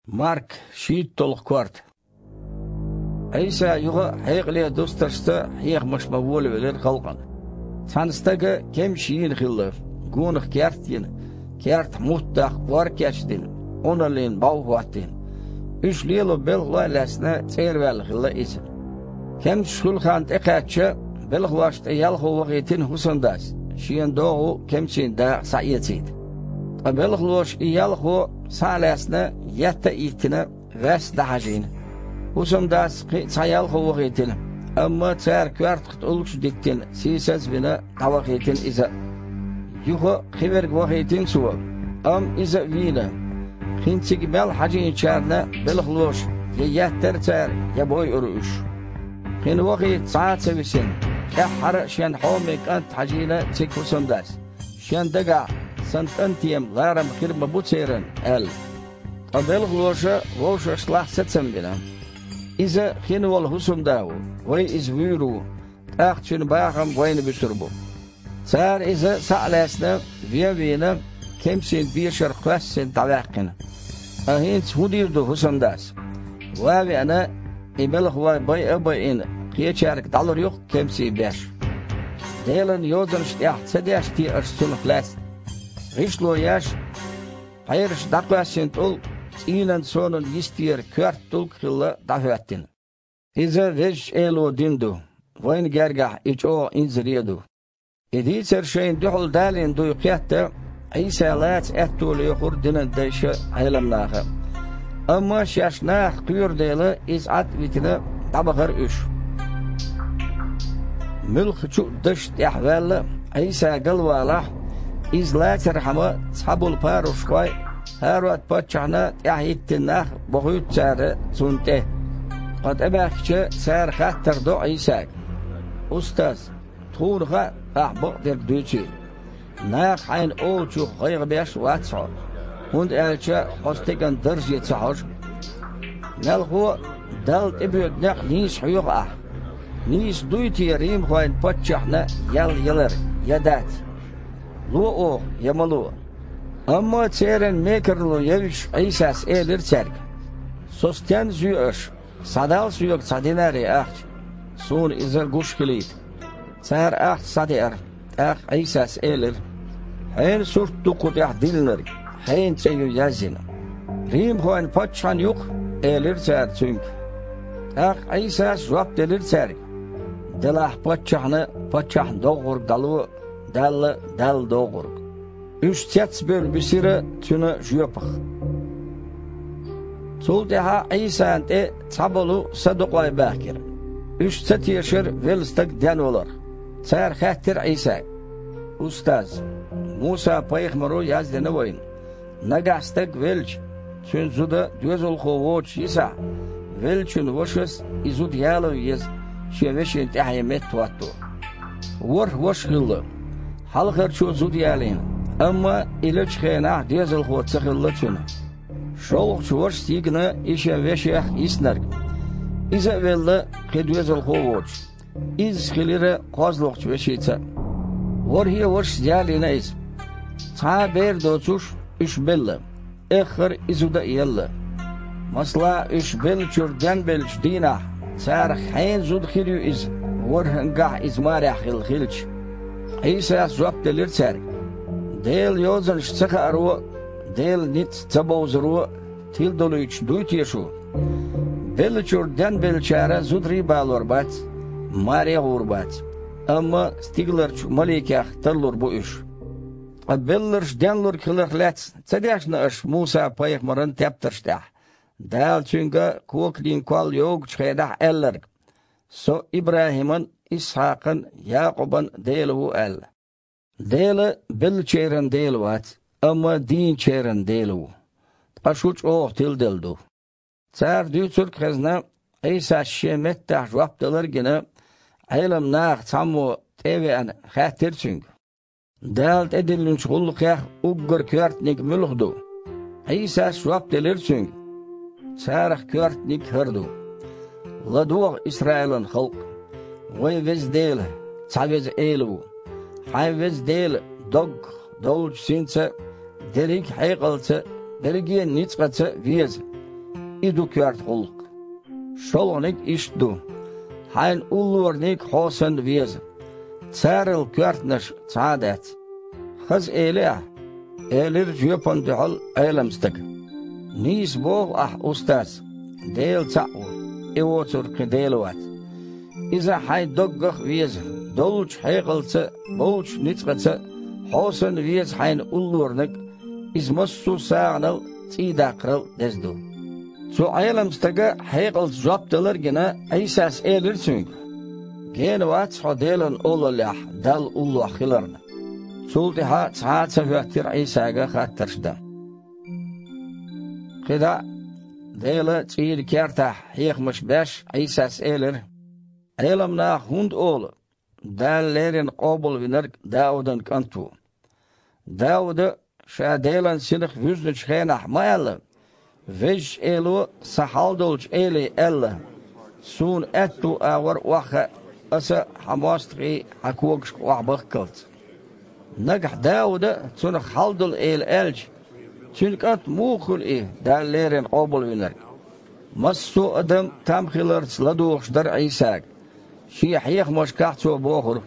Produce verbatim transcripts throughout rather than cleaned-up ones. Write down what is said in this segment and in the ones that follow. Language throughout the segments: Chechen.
Марк, шийтталгӀа корта. Ӏийса юха а хьекъале дустаршца хьехамаш бан волавелира халкъана. Цхьана стага кемсаш йийна хилла, гонах керт а йина, кертахь мутт даккха ор а кечдина, Ӏуналлин бӀов а хӀоттийна. Уьш лело белхалой а лаьцна, цӀера ваьлла хилла иза. Кемсаш хуьлу хан тӀекхаьчча, белхалошна тӀе ялхо вахийтина хӀусамдас, шена догӀу кемсийн дакъа схьаэцийта. Ткъа белхалоша и ялхо, схьа а лаьцна, етта а йиттина, ваьсса дӀахьажийна. ХӀусамдас кхин а цхьа ялхо вахийтина, амма цара коьртах тӀулгаш а диттина, сийсаз а вина, дӀавахийтина иза а. Юха а кхин верг вахийтина цо, амма иза а вийна. Кхин цига мел хьажийначарна белхалоша я еттара цара, я бойура уьш. Кхин вахийта цхьа а ца висина, тӀаьххьара а шен хьоме кӀант хьажийна цига хӀусамдас, шен дагахь: «Сан кӀантена ларам хир ма бу церан», – аьлла. Ткъа белхалоша вовшашкахь сацам бина: «Иза хин волу хӀусамда ву, вай иза вуьйр ву, тӀаккха цуьнан бахам вайна буьсур бу». Цара иза, схьа а лаьцна, вен а вийна, кемсийн дешар кхоьссина дӀаваьккхина. Ткъа хӀинца хӀун дийр ду хӀусамдас? Ван а веана, и белхалой байа а байина, кхечаьрга дӀалур ю-кх кемсийн беш. Делан Йозанаш тӀехь ца деш те аша цунах лаьцна? ГӀишло еш, пхьераш дӀакхоьссина тӀулг цӀийнан сонан йистера коьрта тӀулг а хилла дӀахӀоьттина. Иза Везачу Эло дина ду, вайна гергахь и чӀогӀа инзаре а ду. И дийцар шайна дуьхьал далийна дуй кхетта, Ӏийса лаца аьтто лоьхура динан дайша а, Ӏеламнаха а. Амма шаьш нахах кхоьру дела, иза Ӏад а витина, дӀабахара уьш. Муьлххачу а дашна тӀехь ваьлла, Ӏийса галвалахь, иза лацархьама цхьаболу парушхой а, ХӀарод-паччахьна тӀаьхьахӀиттина нах а бохуьйту цара цунна тӀе. Ткъа тӀебаьхкича, цара хаттар до Ӏийсага: «Устаз, тхуна хаьа, ахь бакъдерг дуьйцийла. Наха хьайна олучух гӀайгӀа беш а вац хьо, хӀунда аьлча хьо стеган дарже ца хьожу. Мелхо а, Далла тӀебоьду некъ нийса хьоьху ахь. Нийса дуй те римхойн паччахьна ял ялар, я дац? Ло оха, я ма ло?» Амма церан мекарло евзаш, Ӏийсас элира цаьрга: «Со стенна зоь аша? Схьадал соьга цхьа динари ахча, суна иза гуш хилийта». Цара ахча схьадеара. ТӀаккха Ӏийсас элира: «Хьенан сурт ду кху тӀехь диллинарг? Хьенан цӀе ю язйина?» «Римхойн паччахьан ю-кх», – элира цара Цуьнга. ТӀаккха Ӏийсас жоп делира цаьрга: «Делахь паччахьна паччахьна доггӀург дӀало, Далла Далла доггӀург». Уьш цецбевлла бисира Цуьнан жоьпах. Цул тӀаьхьа Ӏийсана тӀе цхьаболу садукъой баьхкира. Уьш ца тешара велла стаг денваларх. Цара хаьттира Ӏийсага: «Устаз, Муса-пайхамаро яздина вайна: „Нагахь стаг велча, цуьнан зуда доьзалхо воцуш йисахь, веллачун вашас и зуда яло еза, шен вешин тӀаьхье меттахӀотто“. ВорхӀ ваша хилла. Хьалхарчо зуда ялийна, амма и лечу хенахь доьзалхо ца хилла цуьнан. ШолгӀачу вашас йигна и шен вешех йиснарг. Иза а велла, кхин доьзалхо а воцуш. Изза хилира кхозлагӀчу вешица а. ВорхӀе вашас ялийна иза. Цхьа а бер доцуш, уьш белла. Эххар а и зуда а елла. Масала, уьш беллачуьра денбеллачу дийнахь, царах хьенан зуда хир ю иза, ворхӀангахь иза марехь хилла хилча?» Ӏийсас жоп делира цаьрга: «Делан Йозанаш ца хааро а, Делан ницкъ ца бовзаро а тиладолуьйтуш дуй те шу? Беллачуьра денбеллачара зударий а балор бац, маре а гӀур бац, амма стигаларчу маликех тарлур бу уьш. Ткъа белларш денлург хиларх лаьцна ца дешна аша Муса-пайхамаран тептарш тӀехь, Дала цуьнга коканийн колл йогучу хенахь аьлларг: „Со ИбрахӀиман, Исхьакхан, Якъубан Дела ву“, – аьлла? Дела беллачеран Дела вац, амма дийначеран Дела ву. Ткъа шу чӀогӀа тиладелла ду». Цара дуьйцург а хезна, Ӏийсас шен меттахь жоп далар а гина, Ӏеламнахах цхьаммо, тӀе а веана, хаьттира Цуьнга: «Дала тӀедиллинчу гӀуллакхех уггар коьртаниг муьлха ду?» Ӏийсас жоп делира цуьнга: «Царах коьртаниг хӀара ду: „ЛадогӀа, Исраилан халкъ, вайн Веза Дела, цхьа Веза Эла ву. Хьайн Веза Дела доггах, доллучу синца а, дерриг а хьекъалца а, берриге а ницкъаца а веза. и ду коьрта гӀуллакх. ШолгӀаниг иштта ду: хьайна уллораниг хьо санна веза. Царал коьртанаш цхьа а дац. Хаза элий ахь? — элира жоьпана дуьхьал Ӏелам стага. — Нийса боху ахь, устаз, Дела цхьаъ ву, и воцург кхин Дела вац. Иза хьайн доггах а веза, доллучу хьекъалца а, болчу ницкъаца а, хьо санна веза хьайна уллораниг, иза массо а сагӀанал а, цӀий даккхарал а деза ду. Цу Ӏелам стага хьекъалца жоп далар а гина, Ӏийсас элира цуьнга: — Гена вац хьо Делан Олаллехь Далла уллохь хиларна. Цул тӀаьхьа цхьа а ца хӀоьттира Ӏийсага хаттарш дан. КхидӀа а, Делан цӀийнан кертахь хьехамаш беш, Ӏийсас элира: — Ӏелам наха хӀунда олу, Дала леррина къобалвинарг Даудан кӀант ву? Дауда, ша Делан Синах вуьзначу хенахь, ма аьлла: „Везачу Эло Сан хьалдолчу Эле аьлла: „Суна аьтту агӀор охьахаа Аса Хьан мостагӀий Хьан когашка охьабахккалц““. Нагахь Дауда а Цунах хьалдолу Эла аьлча, Цуьнан кӀант муха хуьлу и, Дала леррина къобалвинарг?“ Массо а адам там хиларца ладугӀуш дара Ӏийсага. Шен хьехамашкахь Цо бохура: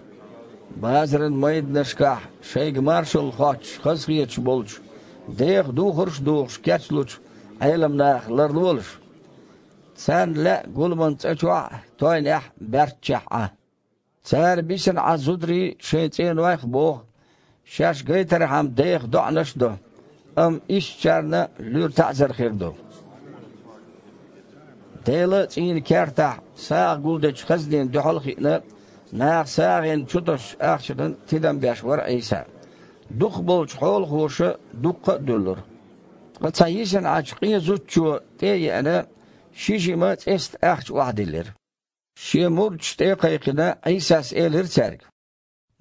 „Базаран майданашкахь шайга маршалла хоттуш хазахеташ болчу, деха духарш а духуш кечлучу Ӏелам нахах ларлолаш. Царна лаьа гуламан цӀа чохь а, тойнехь а, баьрччехь Ӏа. Цара бисина Ӏа зударий шайн цӀенойх а боху, шаьш гайтархьама деха доӀанаш а до, амма иштачарна луьра таӀзар хир ду“. Делан цӀийнан кертахь сагӀа гулдечу хазнина дуьхьал а хиъна, наха сагӀина чу тосучу ахчанан тидам беш вара Ӏийса. Дукхахболчу хьолахоша дуккха а дуьллура. Ткъа цхьа йисина Ӏачу къен зудчо, тӀе а еана, ши жима цӀеста ахча охьадиллира. Шен мурдаш тӀе а кхайкхина, Ӏийсас элира цаьрга: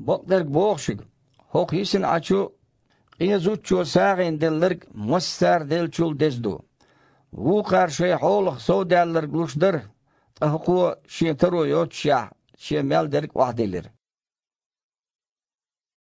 „Бакъдерг боху шуьга, хӀокху йисина Ӏачу къен зудчо сагӀина делларг массара деллачул деза ду. Вукхара шайн хьолах совдаьлларг луш дара, ткъа хӀокхо, шен таро йоццушехь, шен мел дерг охьадиллира“.